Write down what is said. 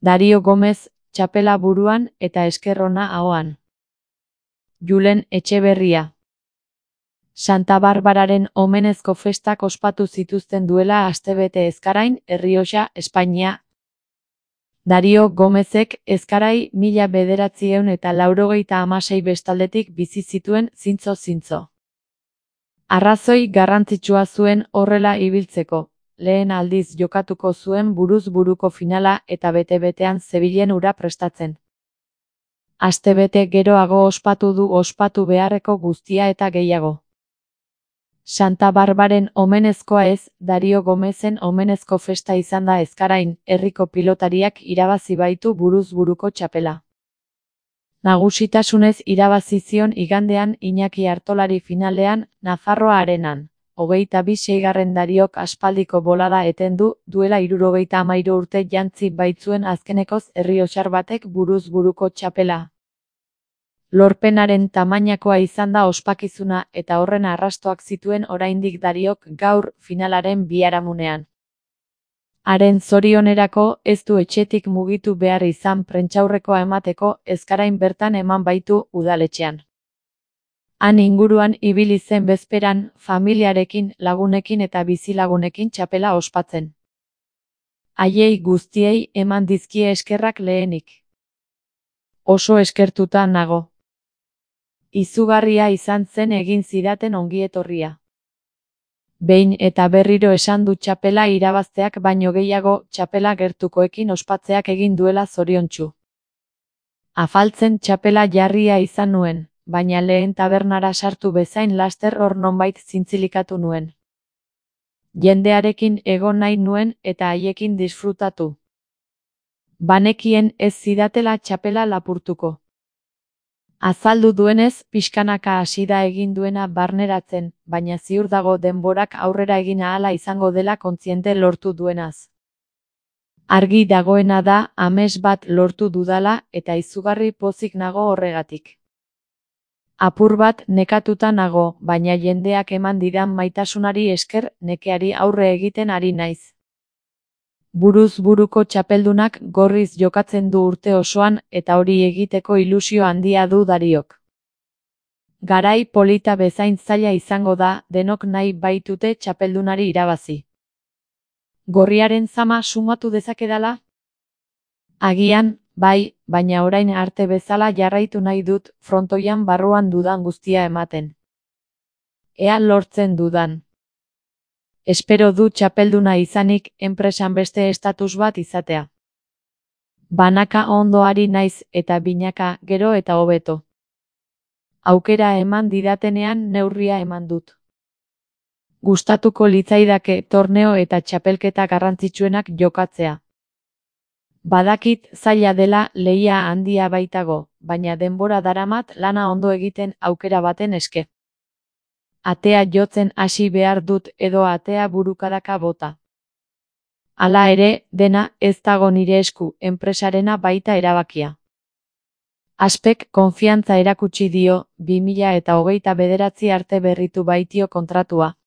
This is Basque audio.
Dario Gomez, txapela buruan eta esker ona ahoan. Julen Etxeberria. Santa Barbararen omenezko festak ospatu zituzten duela astebete Ezkarain, Errioxa, Espainia. Dario Gomezek Ezkarai 1996 bestaldetik bizi zituen zintzo. Arrazoi garrantzitsua zuen horrela ibiltzeko, lehen aldiz jokatuko zuen buruz buruko finala eta bete-betean zebilen hura prestatzen. Astebete geroago ospatu du ospatu beharreko guztia eta gehiago. Santa Barbaren omenezkoa ez, Dario Gomezen omenezko festa izan da Ezkarain, herriko pilotariak irabazi baitu buruz buruko txapela. Nagusitasunez irabazi zion igandean Iñaki Artolari finalean, Nafarroa Arenan. 26. Dariok aspaldiko bolada eten du, duela 73 urte jantzi baitzuen azkenekoz errioxar batek buruz buruko txapela. Lorpenaren tamainakoa izan da ospakizuna eta horren arrastoak zituen oraindik Dariok gaur finalaren biharamunean. Haren zorionerako ez du etxetik mugitu behar izan prentsaurrekoa emateko Ezkarain bertan eman baitu udaletxean. Han inguruan ibili zen bezperan, familiarekin, lagunekin eta bizilagunekin txapela ospatzen. Haiei guztiei eman dizkie eskerrak lehenik. Oso eskertuta nago. Izugarria izan zen egin zidaten ongietorria. Behin eta berriro esan du txapela irabazteak baino gehiago txapela gertukoekin ospatzeak egin duela zoriontsu. Afaltzen txapela jarria izan nuen, baina lehen tabernara sartu bezain laster hor nonbait zintzilikatu nuen. Jendearekin egon nahi nuen eta haiekin disfrutatu. Banekien ez zidatela txapela lapurtuko. Azaldu duenez, pixkanaka hasi da egin duena barneratzen, baina ziur dago denborak aurrera egin ahala izango dela kontziente lortu duenaz. Argi dagoena da amets bat lortu dudala eta izugarri pozik nago horregatik. Apur bat nekatuta nago, baina jendeak eman didan maitasunari esker nekeari aurre egiten ari naiz. Buruz buruko txapeldunak gorriz jokatzen du urte osoan eta hori egiteko ilusio handia du Dariok. Garai polita bezain zaila izango da, denok nahi baitute txapeldunari irabazi. Gorriaren zama sumatu dezakedala? Agian, bai, baina orain arte bezala jarraitu nahi dut frontoian barruan dudan guztia ematen. Ea lortzen dudan. Espero du txapelduna izanik enpresan beste estatus bat izatea. Banaka ondoari naiz eta binaka gero eta hobeto. Aukera eman didatenean neurria eman dut. Gustatuko litzaidake torneo eta txapelketa garrantzitsuenak jokatzea. Badakit zaila dela lehia handia baitago, baina denbora daramat lana ondo egiten aukera baten eske. Atea jotzen hasi behar dut edo atea burukadaka bota. Hala ere, dena ez dago nire esku, enpresarena baita erabakia. Aspek konfiantza erakutsi dio, 2029 arte berritu baitio kontratua.